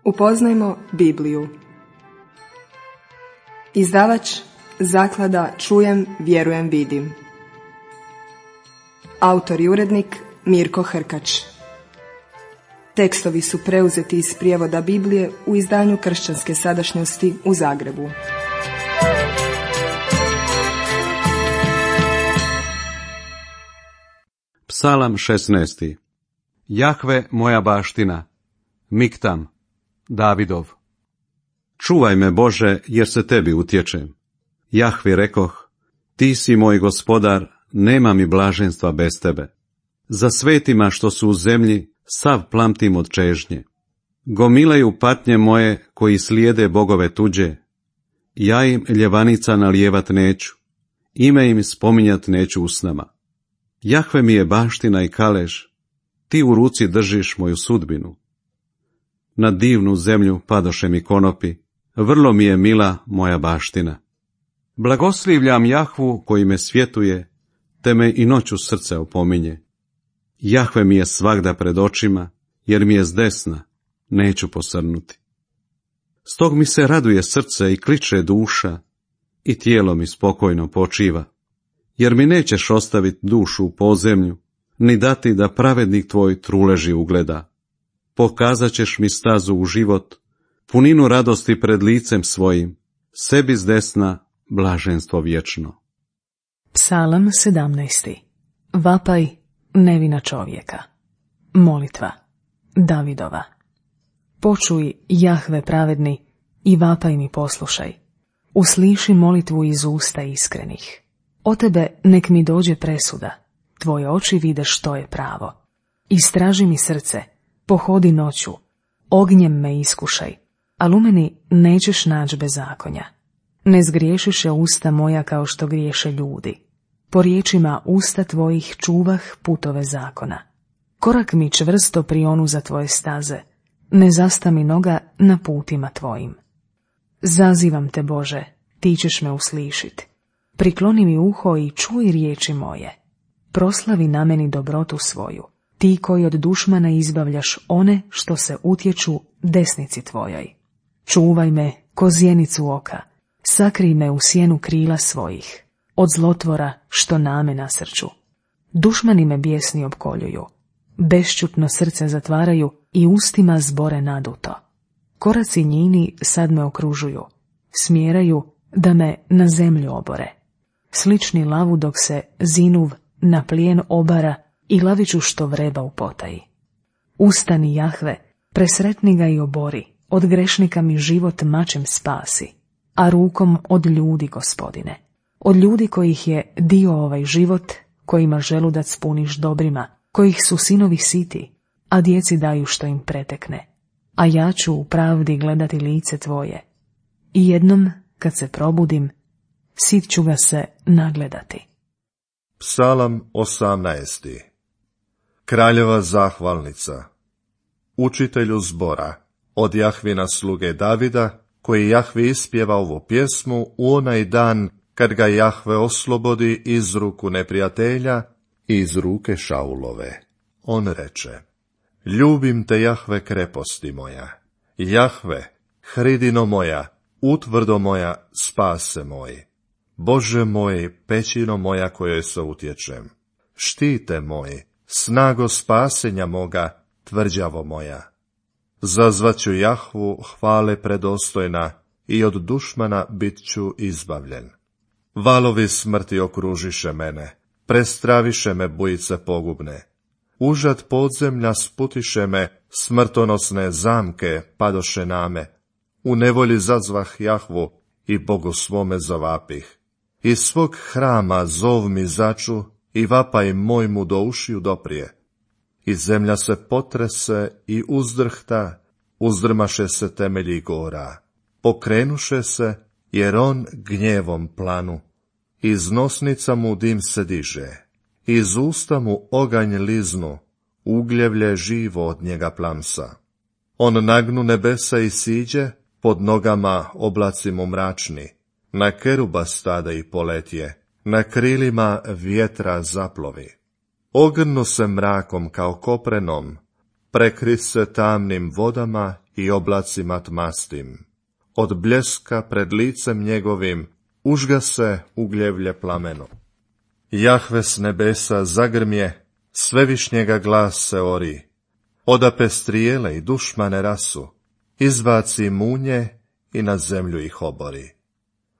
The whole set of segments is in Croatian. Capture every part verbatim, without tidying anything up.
Upoznajmo Bibliju. Izdavač Zaklada Čujem, vjerujem, vidim. Autor i urednik Mirko Hrkač. Tekstovi su preuzeti iz prijevoda Biblije u izdanju Kršćanske sadašnjosti u Zagrebu. Psalam šesnaesti. Jahve moja baština, Miktam, Davidov. Čuvaj me, Bože, jer se tebi utječem. Jahvi rekoh, ti si moj gospodar, nema mi blaženstva bez tebe. Za svetima što su u zemlji, sav plamtim od čežnje. Gomilaju patnje moje koji slijede bogove tuđe. Ja im ljevanica nalijevat neću, ime im spominjat neću usnama. Jahve mi je baština i kalež, ti u ruci držiš moju sudbinu. Na divnu zemlju padoše mi konopi, vrlo mi je mila moja baština. Blagoslivljam Jahvu koji me svjetuje, te me i noću srce opominje. Jahve mi je svagda pred očima, jer mi je zdesna, neću posrnuti. Stog mi se raduje srce i kliče duša, i tijelo mi spokojno počiva, jer mi nećeš ostaviti dušu u podzemlju, ni dati da pravednik tvoj truleži ugleda. Pokazat ćeš mi stazu u život, puninu radosti pred licem svojim, sebi zdesna blaženstvo vječno. Psalam sedamnaesti. Vapaj nevina čovjeka. Molitva Davidova. Počuj, Jahve pravedni, i vapaj mi poslušaj. Usliši molitvu iz usta iskrenih. O tebe nek mi dođe presuda, tvoje oči vide što je pravo. Istraži mi srce, pohodi noću, ognjem me iskušaj, ali u meni nećeš naći bezakonja. Ne zgriješiše usta moja kao što griješe ljudi. Po riječima usta tvojih čuvah putove zakona. Korak mi čvrsto prionu za tvoje staze, ne zasta mi noga na putima tvojim. Zazivam te, Bože, ti ćeš me uslišit. Prikloni mi uho i čuj riječi moje. Proslavi na meni dobrotu svoju, ti koji od dušmana izbavljaš one što se utječu desnici tvojoj. Čuvaj me ko zjenicu oka, sakrij me u sjenu krila svojih, od zlotvora što name nasrću. Dušmani me bijesni opkoljuju, bešćutno srce zatvaraju i ustima zbore naduto. Koraci njini sad me okružuju, smjeraju da me na zemlju obore. Slični lavu dok se zinuv na plijen obara i laviću što vreba u potaji. Ustani, Jahve, presretni ga i obori, od grešnika mi život mačem spasi, a rukom od ljudi, Gospodine. Od ljudi kojih je dio ovaj život, kojima želudac puniš dobrima, kojih su sinovi siti, a djeci daju što im pretekne. A ja ću u pravdi gledati lice tvoje. I jednom, kad se probudim, sit ću ga se nagledati. Psalam osamnaesti. Kraljeva zahvalnica. Učitelju zbora, od Jahvina sluge Davida, koji Jahvi ispjeva ovu pjesmu u onaj dan kad ga Jahve oslobodi iz ruku neprijatelja i iz ruke Šaulove. On reče, ljubim te, Jahve, kreposti moja. Jahve, hridino moja, utvrdo moja, spase moj. Bože moj, pećino moja kojoj se utječem. Štite moj, snago spasenja moga, tvrđavo moja. Zazvaću Jahvu hvale predostojna i od dušmana bit ću izbavljen. Valovi smrti okružiše mene, prestraviše me bujice pogubne. Užad podzemlja sputiše me, smrtonosne zamke padoše name. U nevolji zazvah Jahvu i Bogu svome zavapih. Iz svog hrama zov mi začu i vapaj moj mu do ušiju doprije. I zemlja se potrese i uzdrhta, uzdrmaše se temelji gora. Pokrenuše se, jer on gnjevom planu. Iz nosnica mu dim se diže, iz usta mu oganj liznu, ugljevlje živo od njega plamsa. On nagnu nebesa i siđe, pod nogama oblaci mu mračni. Na keruba stada i poletje, na krilima vjetra zaplovi. Ogrnu se mrakom kao koprenom, prekri se tamnim vodama i oblacima tmastim. Od bljeska pred licem njegovim užga se ugljevlje plameno. Jahve s nebesa zagrmje, svevišnjega glas se ori. Odape strijele i dušmane rasu, izbaci munje i na zemlju ih obori.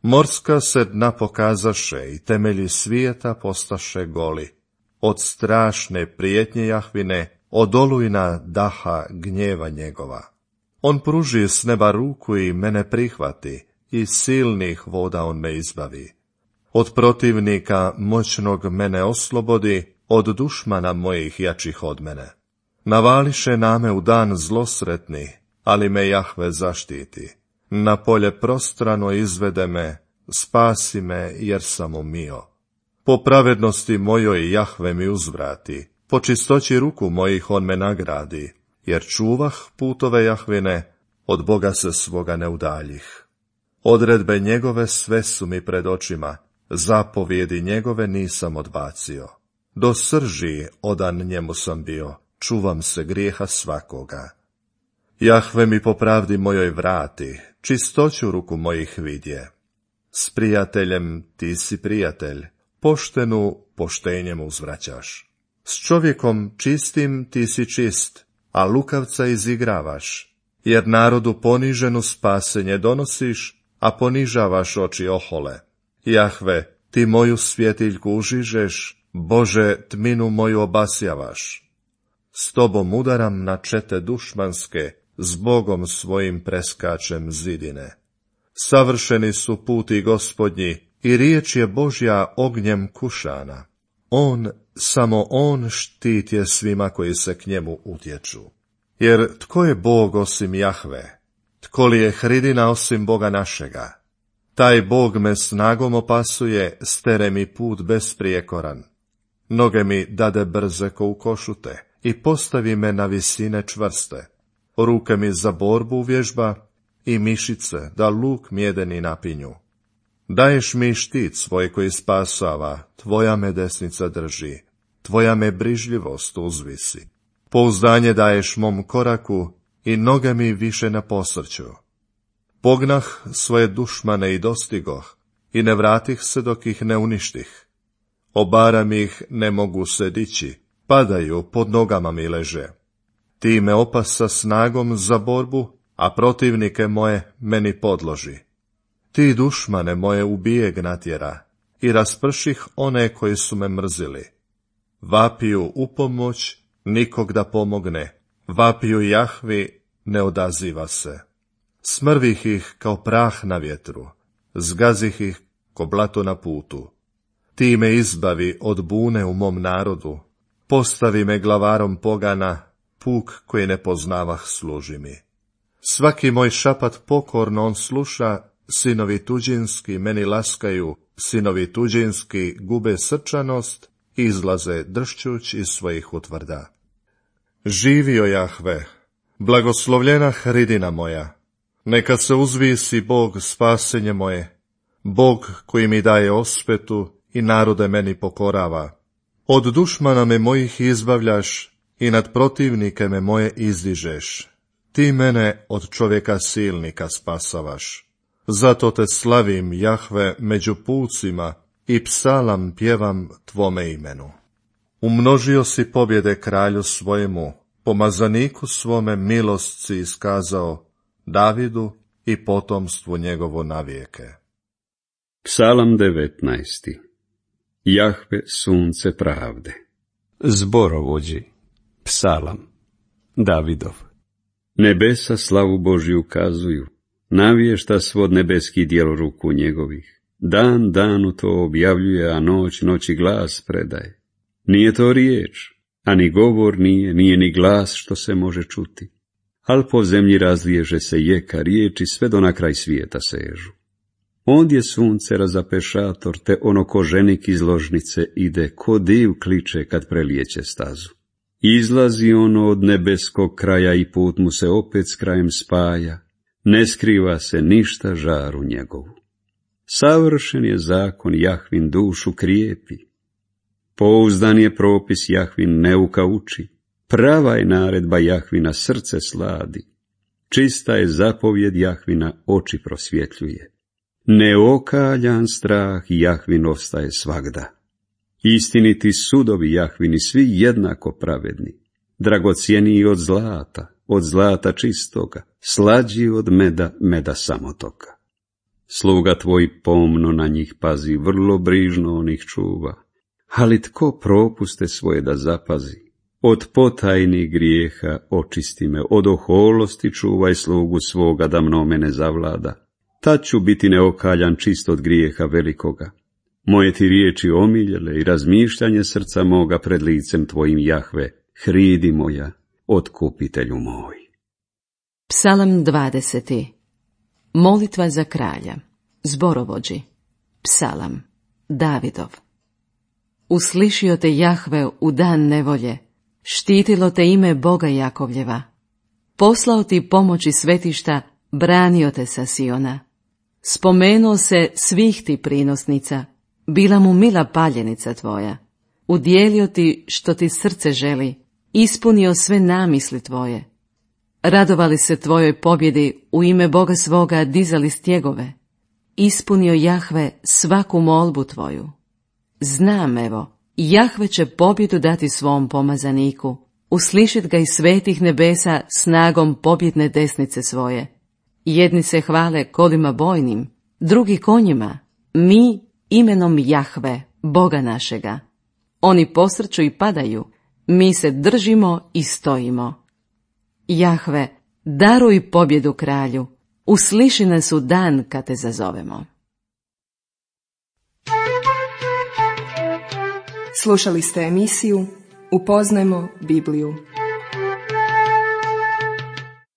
Morska se dna pokazaše i temelji svijeta postaše goli. Od strašne prijetnje Jahvine, od olujna daha gnjeva njegova. On pruži s neba ruku i mene prihvati, i silnih voda on me izbavi. Od protivnika moćnog mene oslobodi, od dušmana mojih jačih od mene. Navališe name u dan zlosretni, ali me Jahve zaštiti. Na polje prostrano izvede me, spasi me jer sam umio. Po pravednosti mojoj Jahve mi uzvrati, po čistoći ruku mojih on me nagradi, jer čuvah putove Jahvine, od Boga se svoga ne udaljih. Odredbe njegove sve su mi pred očima, zapovjedi njegove nisam odbacio. Do srži odan njemu sam bio, čuvam se grijeha svakoga. Jahve mi po pravdi mojoj vrati, čistoću ruku mojih vidje. S prijateljem ti si prijatelj, poštenu poštenjem uzvraćaš. S čovjekom čistim ti si čist, a lukavca izigravaš, jer narodu poniženu spasenje donosiš, a ponižavaš oči ohole. Jahve, ti moju svjetiljku užižeš, Bože, tminu moju obasjavaš. S tobom udaram na čete dušmanske, s Bogom svojim preskačem zidine. Savršeni su puti Gospodnji, i riječ je Božja ognjem kušana. On, samo on štit je svima koji se k njemu utječu. Jer tko je Bog osim Jahve? Tko li je hridina osim Boga našega? Taj Bog me snagom opasuje, stere mi put besprijekoran. Noge mi dade brze ko u košute i postavi me na visine čvrste. Ruke mi za borbu vježba i mišice da luk mjedeni napinju. Daješ mi štit svoj koji spasava, tvoja me desnica drži, tvoja me brižljivost uzvisi. Pouzdanje daješ mom koraku i noge mi više ne posrću. Pognah svoje dušmane i dostigoh, i ne vratih se dok ih ne uništih. Obaram ih, ne mogu se dići, padaju, pod nogama mi leže. Ti me opasa snagom za borbu, a protivnike moje meni podloži. Ti dušmane moje u bijeg natjera, i rasprših one koji su me mrzili. Vapiju u pomoć, nikog da pomogne, vapiju Jahvi, ne odaziva se. Smrvih ih kao prah na vjetru, zgazih ih ko blato na putu. Ti me izbavi od bune u mom narodu, postavi me glavarom pogana, puk koji ne poznavah služi mi. Svaki moj šapat pokorno on sluša, sinovi tuđinski meni laskaju, sinovi tuđinski gube srčanost i izlaze dršćuć iz svojih utvrda. Živio Jahve, blagoslovljena hridina moja, neka se uzvisi Bog spasenje moje, Bog koji mi daje osvetu i narode meni pokorava. Od dušmana me mojih izbavljaš i nad protivnike me moje izdižeš. Ti mene od čovjeka silnika spasavaš. Zato te slavim, Jahve, među pucima i psalam pjevam tvome imenu. Umnožio si pobjede kralju svojemu, pomazaniku svome milost si iskazao, Davidu i potomstvu njegovo navijeke. Psalam devetnaesti. Jahve, sunce pravde. Zborovođi. Psalam. Davidov. Nebesa slavu Božju ukazuju, navješta svod nebeskih djelo ruku njegovih. Dan danu to objavljuje, a noć noći glas predaje. Nije to riječ, a ni govor nije, nije ni glas što se može čuti. Al po zemlji razliježe se jeka riječi, sve do na kraj svijeta sežu. Ondje sunce razapešator, te ono ko ženik iz ložnice ide, ko div kliče kad prelijeće stazu. Izlazi ono od nebeskog kraja i put mu se opet s krajem spaja, ne skriva se ništa žaru njegovu. Savršen je zakon, Jahvin dušu krijepi. Pouzdan je propis, Jahvin neuka uči. Prava je naredba, Jahvina srce sladi. Čista je zapovjed Jahvina, oči prosvjetljuje. Neokaljan strah Jahvin ostaje svagda. Istiniti sudovi Jahvini, svi jednako pravedni. Dragocjeniji od zlata, od zlata čistoga, slađi od meda, meda samotoka. Sluga tvoj pomno na njih pazi, vrlo brižno onih čuva. Ali tko propuste svoje da zapazi? Od potajnih grijeha očisti me, od oholosti čuvaj slugu svoga da mnome ne zavlada. Tad ću biti neokaljan čist od grijeha velikoga. Moje ti riječi omiljele i razmišljanje srca moga pred licem tvojim, Jahve, hridi moja, otkupitelju moj. Psalam dvadeseti. Molitva za kralja. Zborovođi. Psalam. Davidov. Uslišio te Jahve u dan nevolje, štitilo te ime Boga Jakovljeva. Poslao ti pomoći svetišta, branio te sa Siona. Spomenuo se svih ti prinosnica, bila mu mila paljenica tvoja. Udjelio ti što ti srce želi, ispunio sve namisli tvoje. Radovali se tvojoj pobjedi, u ime Boga svoga dizali stjegove. Ispunio Jahve svaku molbu tvoju. Znam, evo, Jahve će pobjedu dati svom pomazaniku, uslišit ga iz svetih nebesa snagom pobjedne desnice svoje. Jedni se hvale kolima bojnim, drugi konjima, mi imenom Jahve, Boga našega. Oni posrću i padaju, mi se držimo i stojimo. Jahve, daruj pobjedu kralju, usliši nas u dan kad te zazovemo. Slušali ste emisiju Upoznajmo Bibliju.